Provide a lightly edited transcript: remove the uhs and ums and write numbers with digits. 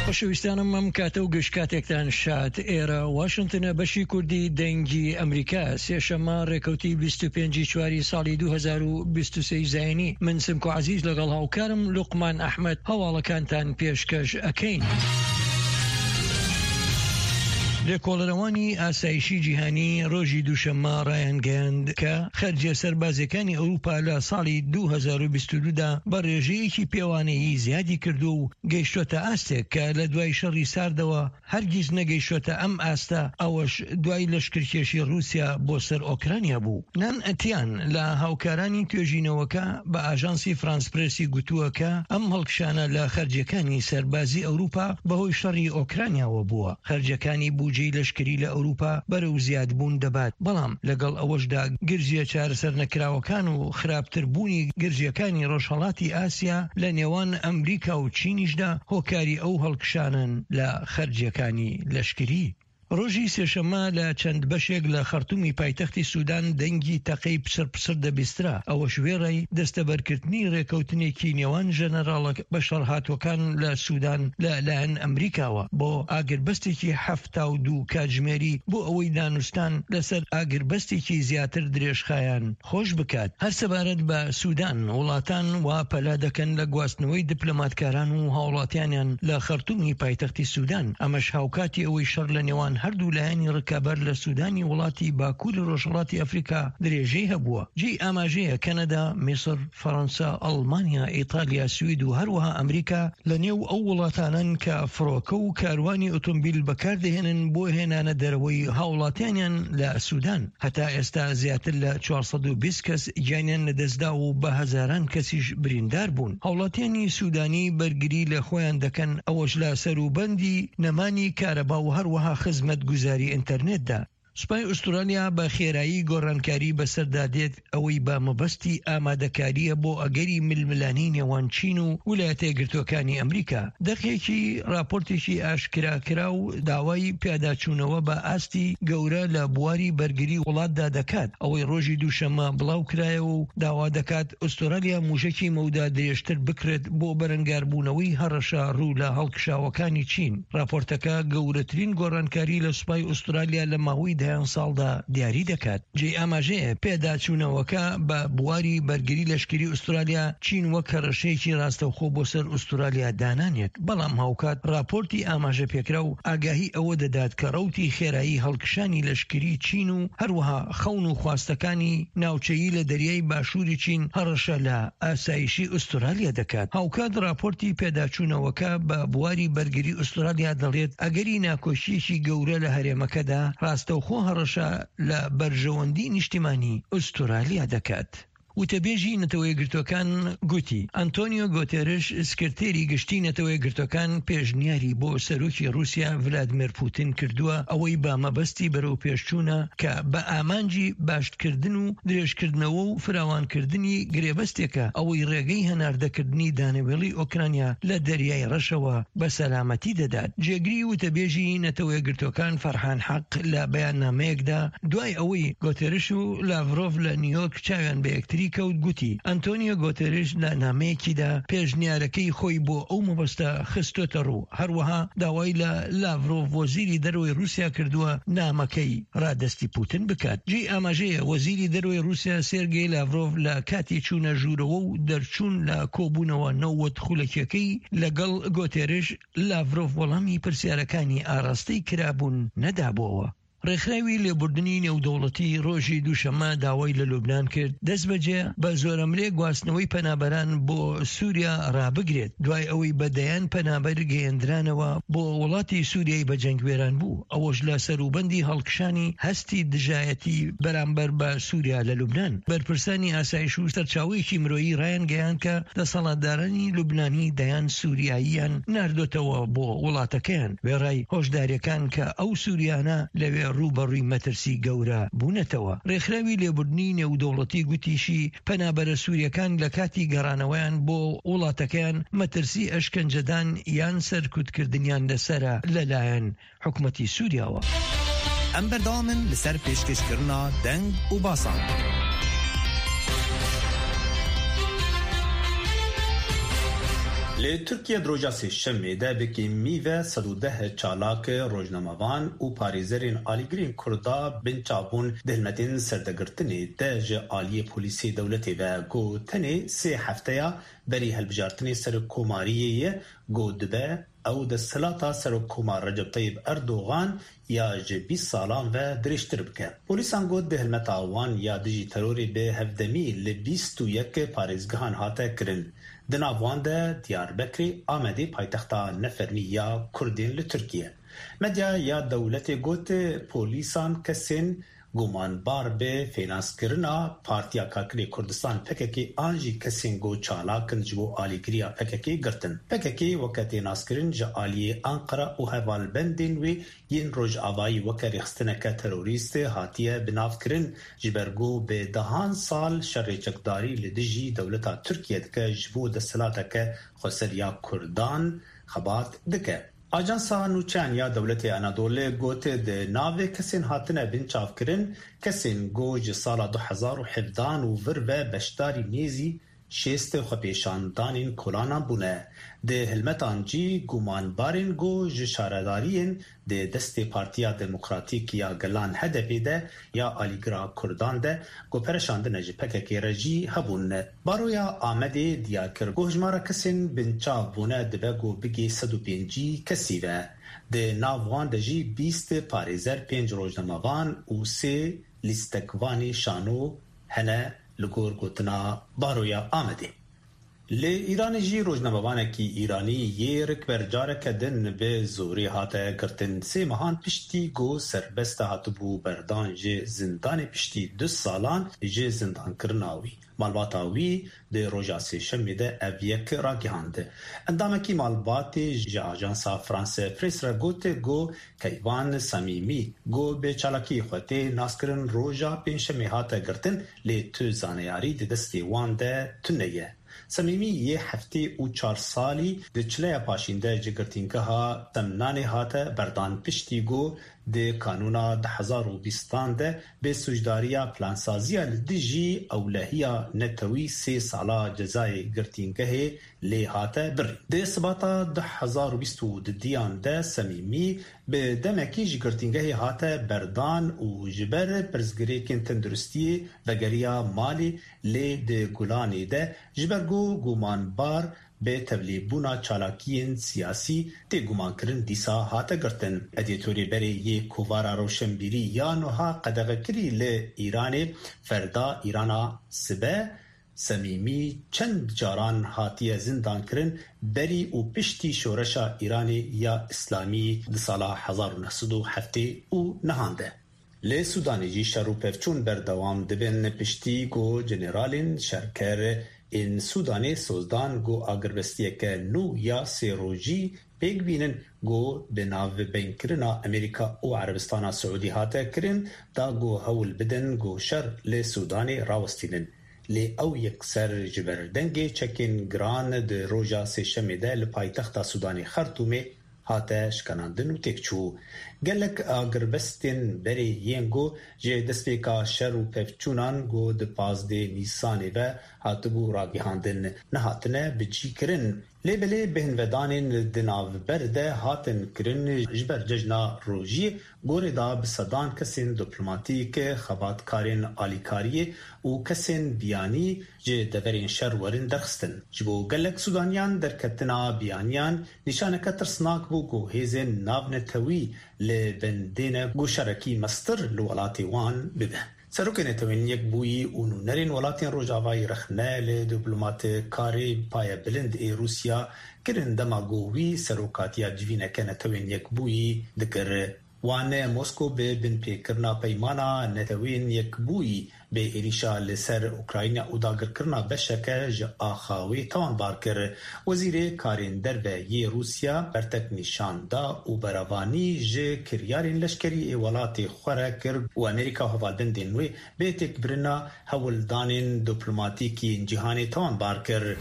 خۆشەویستانم ئەم کاتە و گشت کاتێکتان شاد. ئێرە واشنتنە بەشی کوردی دەنگی ئەمریکا سێشەممە ڕێکەوتی 25 چواری ساڵی 2023 زایینی من سمکۆ عەزیز لەگەڵ هاوکارم لوقمان ئەحمەد هەواڵەکانتان پێشکەش ئەکەین. لێکۆڵەرەوانی ئاسایشی جیهانی ڕۆژی دووشەممە ڕایانگەیاند کە خەرجیە سەربازیەکانی ئەوروپا لە ساڵی 2022 دا بە ڕێژەیەکی پێوانەیی زیادی کردووە و گەیشتۆتە ئاستێک کە لە دوای شەڕی ساردەوە هەرگیز نەگەیشتۆتە ئەم ئاستە، ئەوەش دوای لەشکرکێشی ڕووسیا بۆ سەر ئۆکرانیا بوو. نان تیان لە هاوکارانی توێژینەوەکە بە ئاژانسی فرانس پرێسی گوتووە کە ئەم هەڵکشانە لە خەرجیەکانی سەربازی ئەوروپا بەهۆی شەڕی ئۆکرانیاوە بووە. خەرجیەکانی بوجەی لەشکری لە ئەوروپا بەرەو زیادبوون دەبات، بەڵام لەگەڵ ئەوەشدا گرژیە چارەسەرنەکراوەکان و خراپتربوونی گرژیەکانی ڕۆژهەڵاتی ئاسیا لە نێوان ئەمریکا و چینیشدا هۆکاری ئەو هەڵکشانەن لە خەرجیەکانی لەشکری. ڕۆژی سێشەممە لە چەند بەشێک لە خەرتومی پایتەختی سودان دەنگی تەقەی پچڕ پچڕ دەبیسترا، ئەوەش وێڕای دەستەبەرکردنی ڕێکەوتنێکی نێوان ژەنەراڵە بەشەڕهاتووەکان لە سودان لە لایەن ئەمریکاوە بۆ ئاگربەستێکی 72 کاتژمێری بۆ ئەوەی دانوستان لەسەر ئاگربەستێکی زیاتر درێژخایەن خۆش بکات. هەر سەبارەت بە سودان، وڵاتان وا پەلە دەکەن لە گواستنەوەی دپلۆماتکاران و هاوڵاتیانیان لە خەرتومی پایتەختی سودان، ئەمەش هاوکاتی ئەوەی شەڕ لە نێوان هەردوو لایەنی ڕکابەر لە سودانی وڵاتی باکوری ڕۆژهەڵاتی ئەفریکا درێژەی هەبووە. جێی ئاماژەیە کەنەدا، میسر، فەرەنسا، ئەڵمانیا، ئیتالیا، سوید و هەروەها ئەمریکا لە نێو ئەو وڵاتانەن کە فڕۆکە و کاروانی ئۆتۆمبیل بەکاردەهێنن بۆ هێنانە دەرەوەی هاوڵاتیانیان لە سودان. هەتا ئێستا زیاتر لە 420 کەس گیانیان لەدەستدا و بە هەزاران کەسیش بریندار بوون. هاوڵاتیانی سودانی بەرگری لە خۆیان دەکەن، ئەوەش لە سەروبەندی نەمانی کارەبا و هەروەها خزمەتگوزاری ئینتەرنێتدا. سوپای ئوسترالیا بە خێرایی گۆڕانکاری بەسەردا دێت، ئەوەی بە مەبەستی ئامادەکارییە بۆ ئەگەری ململانێی نێوان چین و ولایەتە یەکگرتووەکانی ئەمریکا. دەقێکی ڕاپۆرتێکی ئاشکراکراو داوای پیاداچوونەوە بە ئاستی گەورە لە بواری بەرگری وڵاتدا دەکات، ئەوەی ڕۆژی دووشەممە بڵاوکرایەوە و داوا دەکات ئوسترالیا مووشەکی مەودا درێژتر بکڕێت بۆ بەرەنگاربوونەوەی هەڕەشە ڕوو لە هەڵکشاوەکانی چین. ڕاپۆرتەکە گەورەترین گۆڕانکاری لە سوپای ئوسترالیا لە ماوەی دەیان ساڵدا دیاری دەکات. جێی ئاماژەیە پێداچوونەوەکە بە بواری بەرگری لەشکری ئوسترالیا چین وەک هەڕەشەیەکی ڕاستەوخۆ بۆ سەر ئوسترالیا دانانێت، بەڵام هاوکات ڕاپۆرتی ئاماژەپێکراو ئاگاهی ئەوە دەدات کە ڕەوتی خێرایی هەڵکشانی لەشکری چین و هەروەها خەون و خواستەکانی ناوچەیی لە دەریای باشووری چین هەڕەشە لە ئاسایشی ئوسترالیا دەکات. هاوکات ڕاپۆرتی پێداچوونەوەکە بە بواری بەرگری ئوسترالیا دەڵێت ئەگەری ناکۆکییەکی گەورە لە هەرێمەکەدا ڕاستەوخۆ هەڕەشە لە بەرژەوەندی نیشتیمانی ئوسترالیا دەکات. وتەبێژی نەتەوەیەکگرتووەکان گوتی، ئەنتۆنیۆ گۆتێرش سکرتێری گشتی نەتەوەیەکگرتووەکان پێشنیاری بۆ سەرۆکی ڕووسیا ڤلادمێر پوتین کردووە ئەوەی بە مەبەستی بەرەوپێشچوونە کە بە ئامانجی باشتکردن و درێژکردنەوە و فراوانکردنی گرێبەستێکە ئەوەی ڕێگەی هەناردەکردنی دانەوێڵی ئۆکرانیا لە دەریای ڕەشەوە بە سەلامەتی دەدات. جێگری وتەبێژی نەتەوەیەکگرتووەکان فەرحان حەق لە بەیاننامەیەکدا دوای ئەوەی گۆتێرش و لاڤرۆڤ لە نیویۆرک چاویان بە یەکتری کەوت گوتی، ئەنتۆنیۆ گۆتێرش لە نامەیەکیدا پێشنیارەکەی خۆی بۆ ئەو مەبەستە خستۆتەڕوو، هەروەها داوای لە لاڤرۆڤ وەزیری دەرەوەی ڕووسیا کردووە نامەکەی ڕادەستی پوتن بکات. جێی ئاماژەیە وەزیری دەرەوەی ڕووسیا سێرگێی لاڤرۆڤ لە کاتی چوونە ژوورەوە و دەرچوون لە کۆبوونەوە 90 خولەکیەکەی لەگەڵ گۆتێرش، لاڤرۆڤ وەڵامی پرسیارەکانی ئاراستەی کرابوون نەدابۆوە. ڕێکخراوی لێبوردنی نێودەوڵەتی ڕۆژی دووشەممە داوای لە لوبنان کرد دەستبەجێ بە زۆرەملێ گواستنەوەی پەنابەران بۆ سوریا ڕابگرێت دوای ئەوەی بە دەیان پەنابەر گەیەندرانەوە بۆ وڵاتی سوریای بە جەنگ وێرانبوو ئەوەش لە سەروبەندی هەڵکشانی هەستی دژایەتی بەرامبەر بە سوریا لە لوبنان. بەرپرسانی ئاسایش و سەرچاوەیەکی مرۆیی ڕایانگەیاند کە دەسەڵاتدارانی لوبنانی دەیان سوریاییان ناردۆتەوە بۆ وڵاتەکەیان، وێڕای هۆشدارییەکان کە ئەو سوریانە لەوێ ڕووبەڕووی مەترسی گەورە بوونەتەوە. ڕێکخراوی لێبوردنی نێودەوڵەتی گوتیشی، پەنابەرە سورییەکان لە کاتی گەڕانەوەیان بۆ وڵاتەکەیان مەترسی ئەشکەنجەدان یان سەرکوتکردنیان لەسەرە لەلایەن حکومەتی سوریاوە. ئەم بەردەوامن لەسەر پێشکەشکردنا دەنگ و باسان. Li Tirkiye di roja Sêşemê de bi kêmî ve 110 çalak, rojnamevan û parêzerên alîgirên Kurda binçav bûn di hilmetên serdegirtinê de ji aliyê polîsê dewletê ve ku tenê sê hefteya berî hilbijartinê serokkomariyê ye ku dibe ew desthilata Serokkomar Recep Tayyip Erdogan ya ji 20 salan ve dirêjtir bike. Polîsan got di hilmeta wan ya dijî terorê bi hevdemî li 21 parêzgehan hate kirin. Di nav wan de Diyarbekirê, Amedê paytexta nefermî ya Kurdên li Tirkiye. Medya ya dewletê got polîsan kesên gumanbar bi fênanskirina Partiya Karkerê Kurdistan PKK an jî kesên ku çalak in ji bo alîgiriya PKK girtin. PKK weke tê naskirin ji aliyê Anqara û hevalbendên wê yên Rojavayî weke rêxistineke terorîst hatiye binavkirin ji ber ku bi dehan sal şerê çekdarî li dijî dewleta Tirkiye dike ji bo desthilateke xweser ya Kurdan xebat dike. Ajansa Nûçeyan ya Dewletê Anadolê got di navê kesên hatine binçavkirin kesên ku ji sala 2017 û vir ve beşdarî nêzî 60 xwepêşandanên kolanan bûne. Di hilmetan jî gumanbarên ku ji şaredariyên di destê Partiya Demokratîk ya Gelan HDP'ê de ya alîgira Kurdan de ku pere şandine ji PKK'ê re jî hebûn. Baroya Amedê diyar kir ku hejmara kesên binçav bûne dibe ku bigê 150 kesî ve. Di nav wan de jî 20 parêzer, 5 rojnamevan û sê lîstekvanê şano hene li gor gotina Baroya Amedê. Li Îranê jî rojnamevanekî Îranî yê rikber careke din bi zorê hate girtin. Sê mehan piştî ku serbest hatibû berdan ji zindanê piştî du salan ji zindankirina wî. Malbata wî di roja Sêşemê de ev yek ragihand. Endamekî malbatê ji ajansa France Press re got ku Keyvan Samîmî ku bi çalakiyê xwe tê naskirin roja Pêncşemê hate girtin lê tu zaneyarî di destê wan de tune ye. Samîmî yê 74 salî di çileya paşîn de ji girtîngeha Semnanê hate berdan piştî ku di kanûna 2020 de bi sûcdariya plansaziya li dijî ewlehiya netewî sê sala cezayê girtîngehê lê hate birîn. Di sibata 2022 de Semîmî bi demekî ji girtîngehê hate berdan û ji ber pirsgirêkên tenduristiyê vegeriya malê lê di Gulanê de ji ber ku gumanbar bi tevlîbûna çalakiyên siyasî tê gumankirin dîsa hate girtin. Edîtorê berê yê Kovara Rewşenbîrî ya nuha qedexekirî li Îranê Ferda Îrana Sibe Semîmî çend caran hatiye zindankirin berî û piştî şoreşa Îranê ya Îslamî di sala 1979 de. Li Sudanê jî şer û pevçûn berdewam dibin piştî ku generalên şerker ên Sudanê soz dan ku agirbestiyeke nû ya sê rojî pêk bînin ku bi navbeynkirina Amerîka û Erebistana Siûdî hate kirin da ku hewl bidin ku şer li Sudanê rawestînin. Lê ew yekser ji ber dengê çekên giran di roja Sêşemê de li paytexta Sudanê Xertûmê hate şikanandin û têk çû. Gelek agirbestên berê yên ku ji destpêka şer û pevçûnan ku di 15 Nîsanê ve hatibû ragihandin nehatine bicîkirin. Lê belê bêhnvedanên di navber de hatin kirin ji ber cejna rojiyê gorê da bi sedan kesên diplomatîk, xebatkarên alîkariyê û kesên biyanî ji deverên şer werin derxistin. Ji bo gelek Sudaniyan derketina biyaniyan nîşaneke tirsnak bû ku hêzên navnetewî li bendê ne ku şerekî meztir li welatê wan bibe. Serokê Netewên Yekbûyî û nûnerên welatên Rojavayî rexne li diplomatkarê payebilind ê Rûsya kirin dema ku wî serokatiya civîneke Netewên Yekbûyî dikir. Wan Moskow bi binpêkirina peymana Netewên Yekbûyî bi êrîşa li ser Ukrayna û dagirkirina beşeke ji axa wê tawanbar kir. Wezîrê Karên Derve yê Rûsya bertek nîşan da û berevanî ji kiryarên leşkerî ê welatê xwe re kir û Amerîka û hevalbendên wê bê têkbirina hewldanên diplomatîk yên cîhanê tawanbar kir.